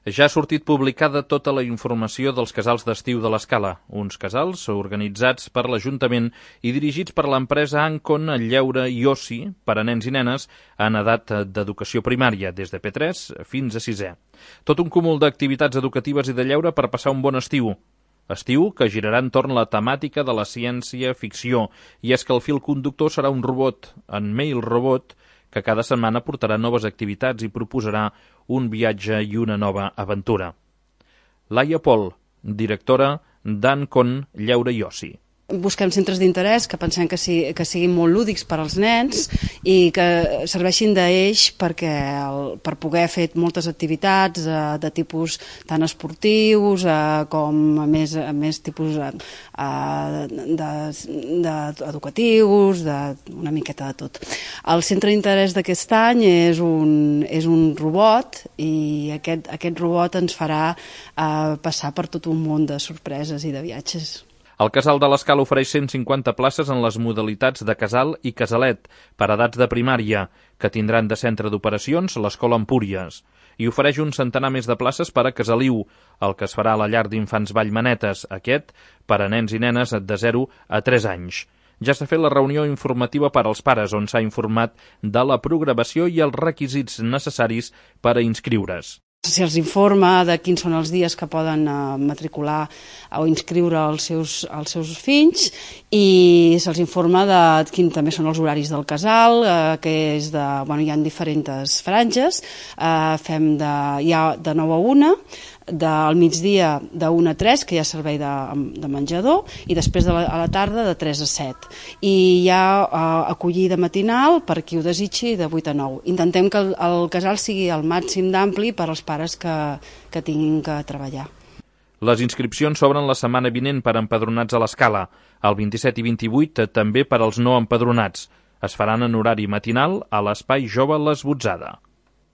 Ja ha sortit publicada tota la informació dels casals d'estiu de l'Escala, uns casals organitzats per l'Ajuntament i dirigits per l'empresa Ancon Lleure i Oci per a nens i nenes en edat d'educació primària, des de P3 fins a 6è. Tot un cúmul d'activitats educatives i de lleure per passar un bon estiu. Estiu que girarà entorn la temàtica de la ciència-ficció, i és que el fil conductor serà un robot, en Mail Robot, que cada setmana portarà noves activitats i proposarà un viatge i una nova aventura. Laia Pol, directora d'Ancon Lleure i Oci. Busquem centres d'interès que pensem que siguin molt lúdics per als nens i que serveixin d'eix per poder fer moltes activitats de tipus tant esportius com a més tipus educatius, una miqueta de tot. El centre d'interès d'aquest any és un robot, i aquest robot ens farà passar per tot un món de sorpreses i de viatges. El Casal de l'Escala ofereix 150 places en les modalitats de casal i casalet per edats de primària, que tindran de centre d'operacions l'Escola Empúries, i ofereix un centenar més de places per a Casaliu, el que es farà a la llar d'infants Vallmanetes, aquest per a nens i nenes de 0 a 3 anys. Ja s'ha fet la reunió informativa per als pares, on s'ha informat de la programació i els requisits necessaris per a inscriure's. Se'ls informa de quins són els dies que poden matricular o inscriure els seus fills, i se'ls informa de quins també són els horaris del casal, que és hi ha diferents franges, hi ha de 9 a 1, al migdia de 1 a 3, que hi ha servei de menjador, i després a la tarda de 3 a 7. I hi ha acollida matinal per qui ho desitgi de 8 a 9. Intentem que el casal sigui el màxim d'ampli per als pares que tinguin que treballar. Les inscripcions s'obren la setmana vinent per empadronats a l'Escala, el 27 i 28 també per als no empadronats. Es faran en horari matinal a l'Espai Jove Les Botzada.